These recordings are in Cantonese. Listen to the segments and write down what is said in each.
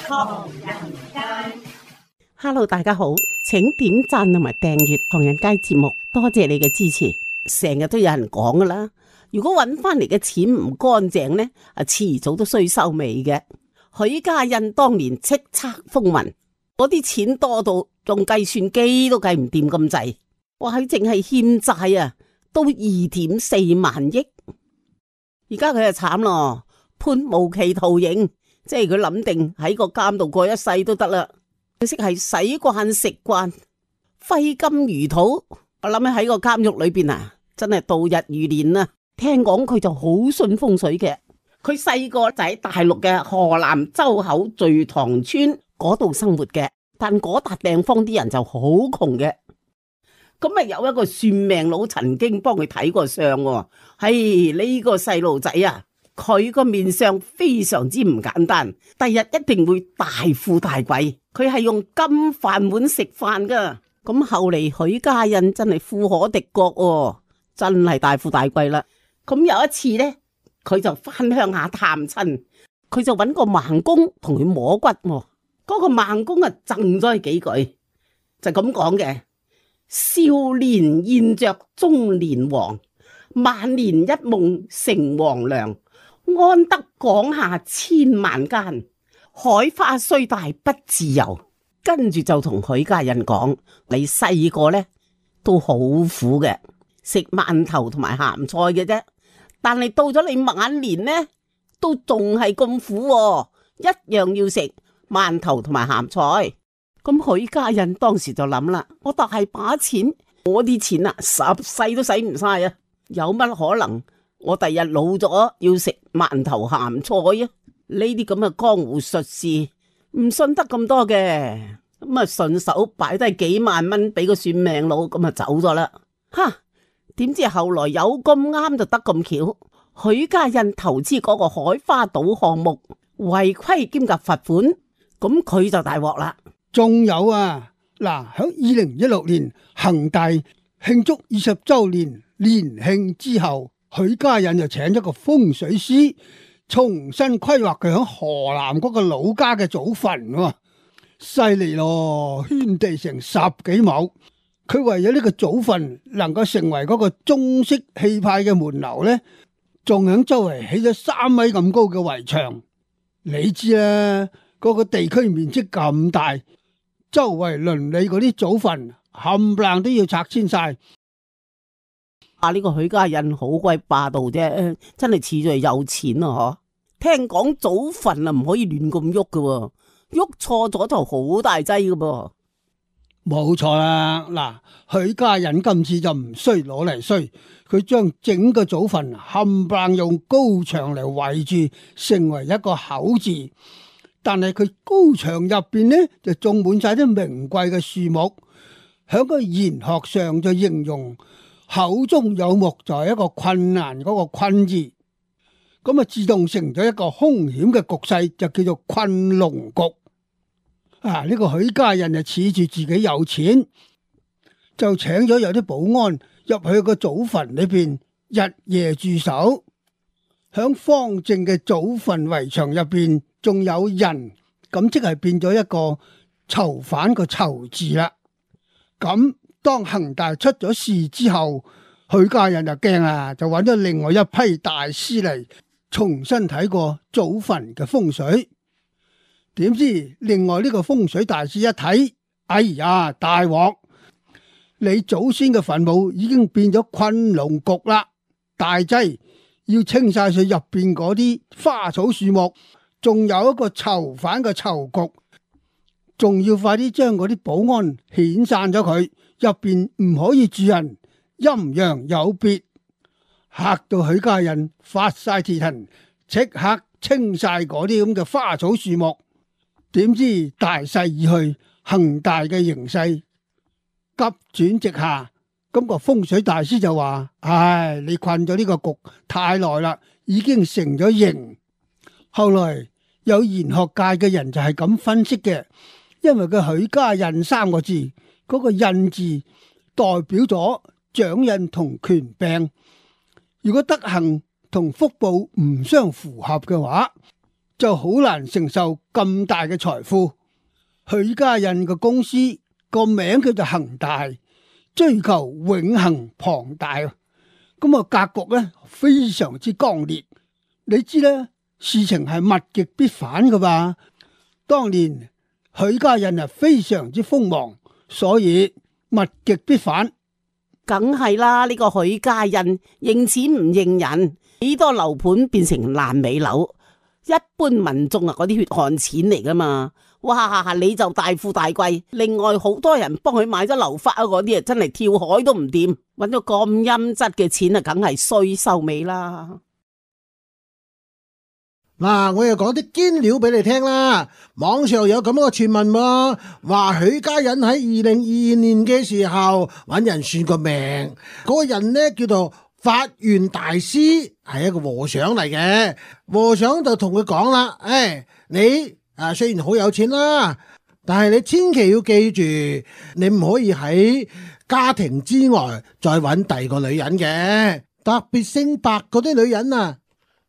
唐人街Hello， 大家好，請點讚同埋訂閱唐人街節目，多謝你嘅支持。成日都有人講噶啦，如果揾翻嚟嘅錢唔乾淨呢，遲早都衰收尾嘅。許家印當年叱咤風雲，嗰啲錢多到用計算機都計唔掂咁滯，哇！佢淨係欠債都2.4萬億。而家佢就慘咯，判無期徒刑，即係佢諗定喺個監度過一世都得啦。佢識係洗慣食慣，揮金如土。我諗起喺個監獄裏邊真係度日如年啊！聽講佢就好信風水嘅。佢細個就喺大陸嘅河南周口聚塘村嗰度生活嘅，但嗰笪地方啲人就好窮嘅。咁有一個算命佬曾經幫佢睇過相喎。呢個細路仔佢個面相非常之唔簡單，第日一定會大富大貴。佢係用金飯碗食飯噶。咁後嚟許家印真係富可敵國喎，真係大富大貴啦。咁有一次呢，佢就翻鄉下探親，佢就揾個盲公同佢摸骨。嗰個盲公贈咗佢幾句，就咁講嘅：少年現着中年黃，晚年一夢成黃粱，安得廣廈千萬間，海花雖大不自由。跟住就同許家印講：你細個呢都好苦嘅，食饅頭同埋鹹菜嘅啫。但係到咗你晚年呢，都仲係咁苦喎，一樣要食饅頭同埋鹹菜。咁許家印當時就諗啦：我大把錢，我啲錢十世都使唔晒啊！有乜可能我第日老咗要食饅頭鹹菜啊？呢啲咁嘅江湖術士唔信得咁多嘅，咁順手擺低幾萬蚊俾個算命佬，咁走咗啦。點知後來有咁啱就得咁巧，許家印投資嗰個海花島項目違規兼夾罰款，咁佢就大鑊啦。仲有喺2016年恒大慶祝20周年年慶之後，許家印就請咗個風水師重新規劃佢喺河南嗰個老家嘅祖墳，犀利咯，圈地成10幾畝。佢為咗呢個祖墳能夠成為嗰個中式氣派嘅門樓呢，仲喺周圍起咗3米咁高嘅圍牆。你知啦，嗰個地區面積咁大，周圍鄰里嗰啲祖墳冚唪唥都要拆遷晒。呢個許家印好鬼霸道啫，真係似咗係有錢啊！聽講祖墳唔可以亂咁喐㗎，喐錯咗就好大劑㗎噃。冇錯啦，許家印今次就唔衰攞嚟衰，佢將整個祖墳冚唪唥用高牆嚟圍住，成為一個口字。但係佢高牆入邊呢，就種滿晒啲名貴嘅樹木，響個玄學上就形容口中有木就係一個困難嗰個困字，咁自動成咗一個凶險嘅局勢，就叫做困龍局。呢個許家印就恃住自己有錢，就請咗有啲保安入去個祖墳裏邊日夜駐守，響方正嘅祖墳圍牆入邊仲有人，咁即係變咗一個囚犯個囚字啦。咁當恒大出咗事之後，許家印就驚啦，就揾咗另外一批大師嚟重新睇過祖墳嘅風水。點知另外呢個風水大師一睇，哎呀，大鑊！你祖先嘅墳墓已經變咗困龍局啦，大劑，要清晒佢入邊嗰啲花草樹木，仲有一個囚犯嘅囚局，仲要快啲將嗰啲保安遣散咗佢，入邊唔可以住人，陰陽有別。嚇到許家印發晒蹄騰，即刻清晒嗰啲咁嘅花草樹木。點知大勢已去，恒大嘅形勢急轉直下。咁個風水大師就話：唉，你困咗呢個局太耐啦，已經成咗形。後來有玄學界嘅人就係咁分析嘅，因為佢許家印3個字，嗰個印字代表咗掌印同權柄。如果德行同福報唔相符合嘅話，就好難承受咁大嘅財富。許家印嘅公司個名叫做恒大，追求永恆龐大，咁啊格局咧非常之剛烈。你知咧，事情係物極必反噶吧？當年許家印係非常之鋒芒，所以物極必反。梗係啦，呢個許家印認錢唔認人，幾多樓盤變成爛尾樓，一般民眾啊嗰啲血汗錢嚟噶嘛。哇，你就大富大貴，另外好多人幫佢買咗樓花嗰啲啊，真係跳海都唔掂，搵咗咁陰質嘅錢啊，梗係衰收尾啦。嗱，我又講啲堅料俾你聽啦。網上有咁樣嘅傳聞喎，話許家印喺2022年嘅時候揾人算個命，嗰個人呢叫做法源大師，係一個和尚嚟嘅。和尚就同佢講啦，你雖然好有錢啦，但係你千祈要記住，你唔可以喺家庭之外再揾第二個女人嘅，特別姓白嗰啲女人啊，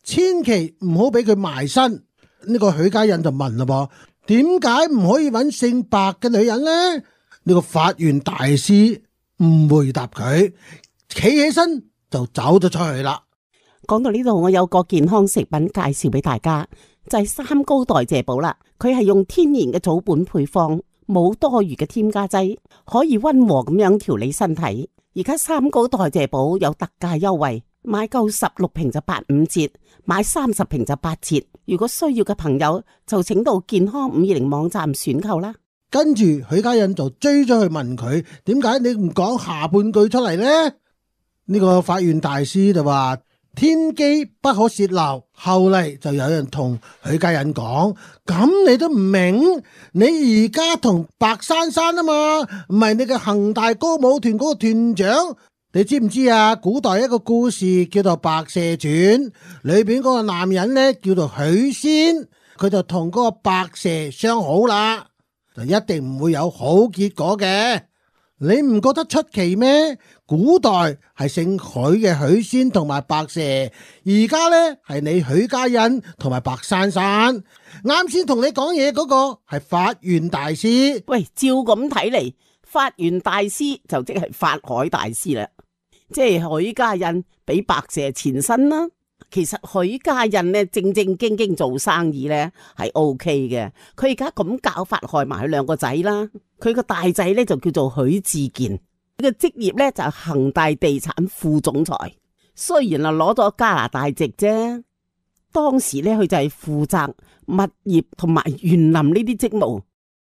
千祈唔好俾佢埋身。呢個許家印就問啦噃，點解唔可以揾姓白嘅女人呢？呢個法源大師唔回答佢，企起身就走咗出去啦。講到呢度，我有個健康食品介紹俾大家，就係三高代謝寶啦。佢係用天然嘅草本配方，冇多餘嘅添加劑，可以溫和咁樣調理身體。而家三高代謝寶有特價優惠，買夠16瓶就85折，買30瓶就8折。如果需要嘅朋友就請到健康520網站選購啦。跟住許家印就追咗去問佢，點解你唔講下半句出嚟呢？呢個法源大師就話天機不可洩漏。後嚟就有人同許家印講，咁你都唔明？你而家同白珊珊啊嘛，唔係你嘅恒大歌舞團嗰個團長。你知唔知啊？古代一個故事叫做《白蛇傳》，裏邊嗰個男人呢叫做許仙，佢就同嗰個白蛇相好啦，就一定唔會有好結果嘅。你唔覺得出奇咩？古代係姓許嘅許仙同埋白蛇，而家呢係你許家印同埋白珊珊。啱先同你講嘢嗰個係法源大師。喂，照咁睇嚟，法源大師就即係法海大師啦。即係許家印比白蛇前身啦。其實許家印呢正正經經做生意呢係 OK 嘅。佢而家咁教法害埋佢兩個仔啦。佢個大仔呢就叫做許志健，佢嘅職業呢就係恒大地產副總裁。雖然係攞咗加拿大籍啫，當時呢佢就係負責物業同埋園林呢啲職務。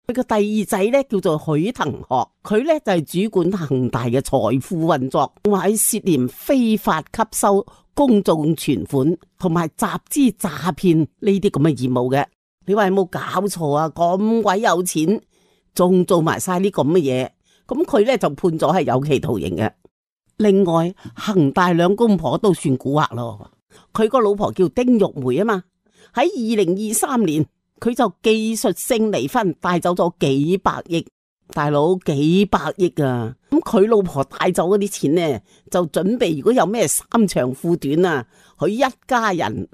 佢個第二仔咧叫做許騰學，佢咧就係主管恒大嘅財富運作，話涉嫌非法吸收公眾存款同埋集資詐騙呢啲咁嘅業務嘅。你話有冇搞錯啊？咁鬼有錢，仲做埋晒啲咁嘅嘢，咁佢咧就判咗係有期徒刑嘅。另外，恒大兩公婆都算蠱惑咯。佢個老婆叫丁玉梅啊嘛，喺2023年。佢就技術性離婚，帶走咗幾百億，大佬幾百億啊！咁佢老婆帶走嗰啲錢呢，就準備如果有咩三長褲短啊，佢一家人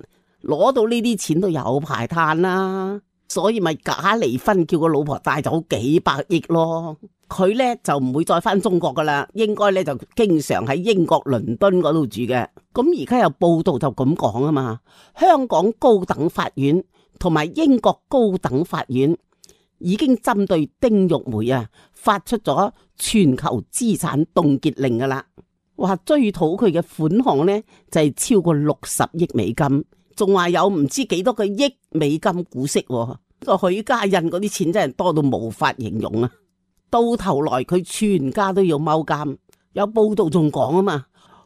攞到呢啲錢都有排嘆啦，所以咪假離婚，叫個老婆帶走幾百億咯。佢呢就唔會再翻中國噶啦，應該呢就經常喺英國倫敦嗰度住嘅。咁而家有報道就咁講啊嘛，香港高等法院同埋英國高等法院已經針對丁玉梅啊發出咗全球資產凍結令噶啦，話追討佢嘅款項呢就係超過60億美金，仲話有唔知幾多個億美金股息。個許家印嗰啲錢真係多到無法形容啊！到頭來佢全家都要踎監。有報道仲講啊嘛，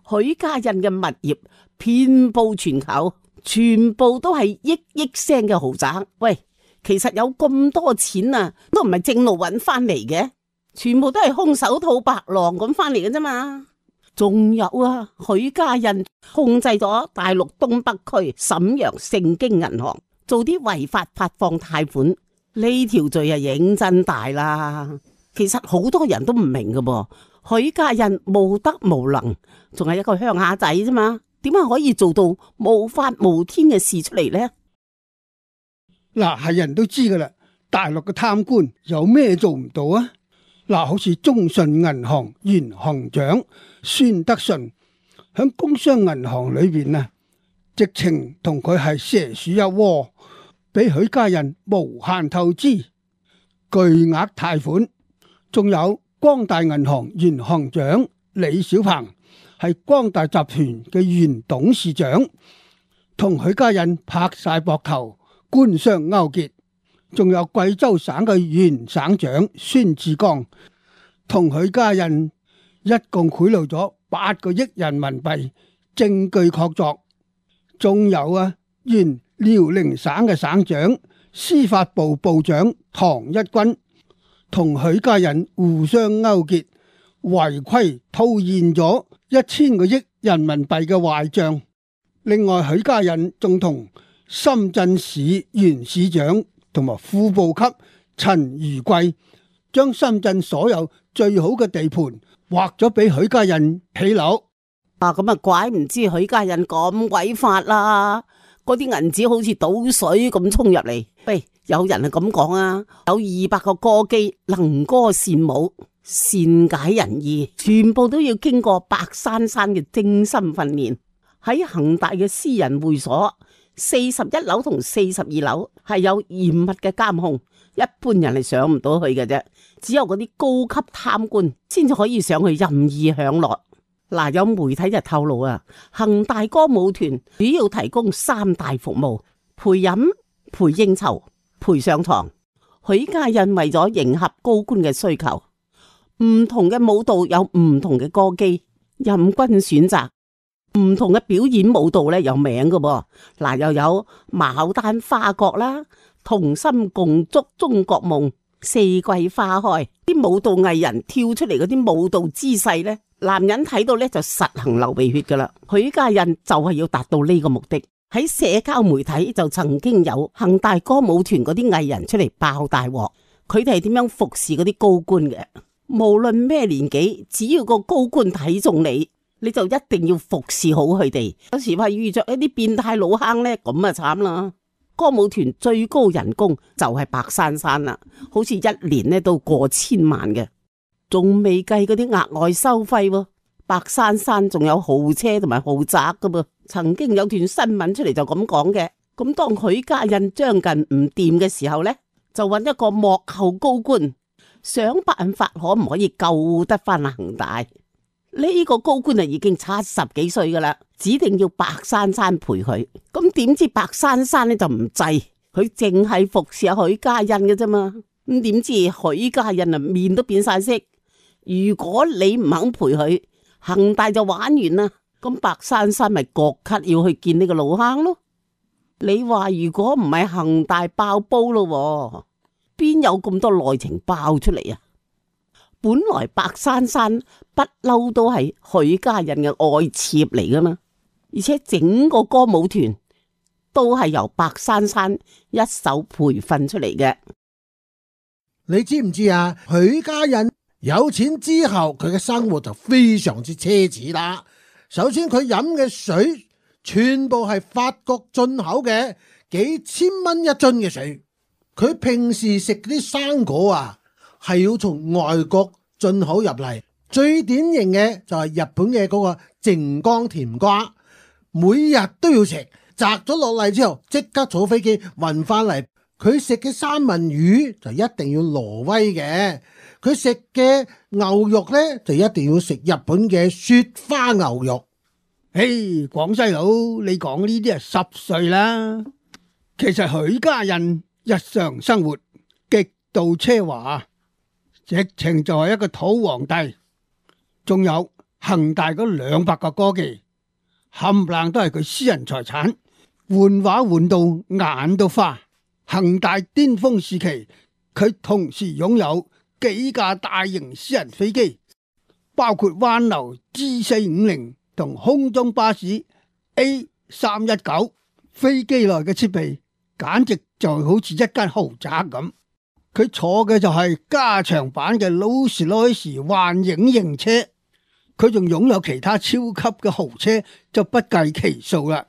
許家印嘅物業遍佈全球。全部都係億聲嘅豪宅。喂，其實有咁多錢啊，都唔係正路揾翻嚟嘅，全部都係空手套白狼咁翻嚟嘅啫嘛。仲有啊，許家印控制咗大陸東北區瀋陽盛京銀行，做啲違法發放貸款，呢條罪啊認真大啦。其實好多人都唔明㗎噃，許家印無德無能，仲係一個鄉下仔啫嘛。點解可以做到無法無天嘅事出嚟呢？嗱，係人都知噶啦，大陸嘅貪官有咩做唔到啊？嗱，好似中信銀行原行長孫德順響工商銀行裏邊啊，直情同佢係蛇鼠一窩，俾許家印無限透支，巨額貸款。仲有光大銀行原行長李小鵬係光大集團嘅原董事長，同許家印拍晒膊頭，官商勾結。仲有貴州省嘅原省長孫志剛，同許家印一共賄賂咗8個億人民幣，證據確鑿。仲有原遼寧省嘅省長、司法部部長唐一軍，同許家印互相勾結，違規套現咗1000個億人民幣嘅壞賬。另外，許家印仲同深圳市原市長同埋副部級陳如貴，將深圳所有最好嘅地盤劃咗俾許家印起樓。咁怪唔知許家印咁鬼法啦！嗰啲銀紙好似倒水咁衝入嚟。喂，有人係咁講啊，有200個歌姬能歌善舞，善解人意，全部都要經過白珊珊嘅精心訓練。喺恒大嘅私人會所41樓同42樓係有嚴密嘅監控，一般人係上唔到去嘅啫，只有嗰啲高級貪官先至可以上去任意享樂。嗱，有媒體就透露啊，恒大歌舞團主要提供3大服務：陪飲、陪應酬、陪上床。許家印為咗迎合高官嘅需求，唔同嘅舞蹈有唔同嘅歌姬，任君選擇。唔同嘅表演舞蹈咧有名嘅噃，嗱，又有牡丹花國啦、同心共築中國夢、四季花開。啲舞蹈藝人跳出嚟嗰啲舞蹈姿勢咧，男人睇到咧就實行流鼻血噶啦。許家印就係要達到呢個目的，喺社交媒體就曾經有恒大歌舞團嗰啲藝人出嚟爆大鑊，佢哋係點樣服侍嗰啲高官嘅？無論咩年紀，只要個高官睇中你就一定要服侍好佢哋。有時話遇着一啲變態老坑呢，咁啊慘啦！歌舞團最高人工就係白珊珊啦，好似一年呢都過千萬嘅，仲未計嗰啲額外收費喎。白珊珊仲有豪車同埋豪宅噶噃。曾經有段新聞出嚟就咁講嘅。咁當許家印將近唔掂嘅時候呢，就揾一個幕後高官，想辦法可唔可以救得翻恒大。呢個高官啊已經70幾歲噶啦，指定要白珊珊陪佢。咁點知白珊珊呢就唔制，佢淨係服侍許家印嘅啫嘛。咁點知許家印啊面都變晒色。如果你唔肯陪佢，恒大就玩完啦。咁白珊珊咪割咳要去見呢個老坑咯。你話如果唔係恒大爆煲咯，邊有咁多內情爆出嚟啊？本來白珊珊不嬲都係許家印嘅愛妾嚟噶嘛，而且整個歌舞團都係由白珊珊一手培訓出嚟嘅。你知唔知啊？許家印有錢之後，佢嘅生活就非常之奢侈啦。首先佢飲嘅水全部係法國進口嘅，幾千蚊一樽嘅水。佢平時食啲生果啊，係要從外國進口入嚟。最典型嘅就係日本嘅嗰個靜岡甜瓜，每日都要食，摘咗落嚟之後即刻坐飛機運翻嚟。佢食嘅三文魚就一定要挪威嘅，佢食嘅牛肉呢，就一定要食日本嘅雪花牛肉。嘿，廣西佬，你講呢啲係濕碎啦。其實許家印日常生活極度奢華，直情就係一個土皇帝。仲有恒大嗰200個歌妓，冚唪唥都係佢私人財產，換畫換到眼都花。恒大巔峰時期，佢同時擁有幾架大型私人飛機，包括灣流 G450 同空中巴士 A319。飛機內嘅設備簡直就好似一間豪宅咁。佢坐嘅就係加長版嘅勞斯萊斯幻影型車，佢仲擁有其他超級嘅豪車就不計其數啦。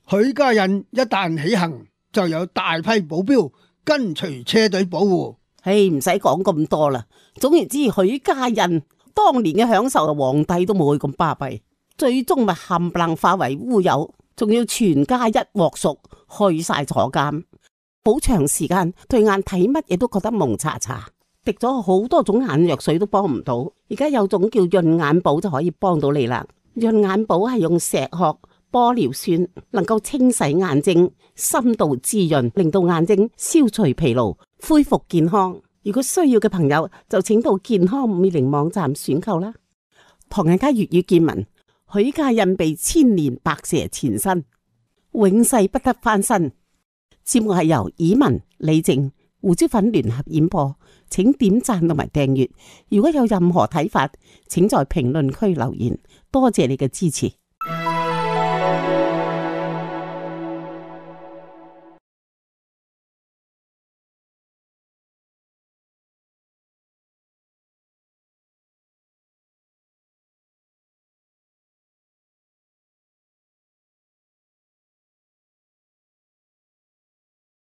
許家印一旦起行，就有大批保鏢跟隨車隊保護。唔使講咁多啦。總言之，許家印當年嘅享受，皇帝都冇佢咁巴閉，最終咪冚唪唥化為烏有，仲要全家一鑊熟，去晒坐監，好長時間對眼睇乜嘢都覺得蒙查查，滴咗好多種眼藥水都幫唔到。而家有種叫潤眼寶就可以幫到你啦。潤眼寶係用石殼、玻尿酸，能夠清洗眼睛，深度滋潤，令到眼睛消除疲勞，恢復健康。如果需要嘅朋友就請到健康50網站選購啦。唐人街粵語見聞，許家印被千年白蛇纏身，永世不得翻身。節目係由以文、李靜、胡椒粉聯合演播，請點讚同埋訂閱。如果有任何睇法，請在評論區留言。多謝你嘅支持。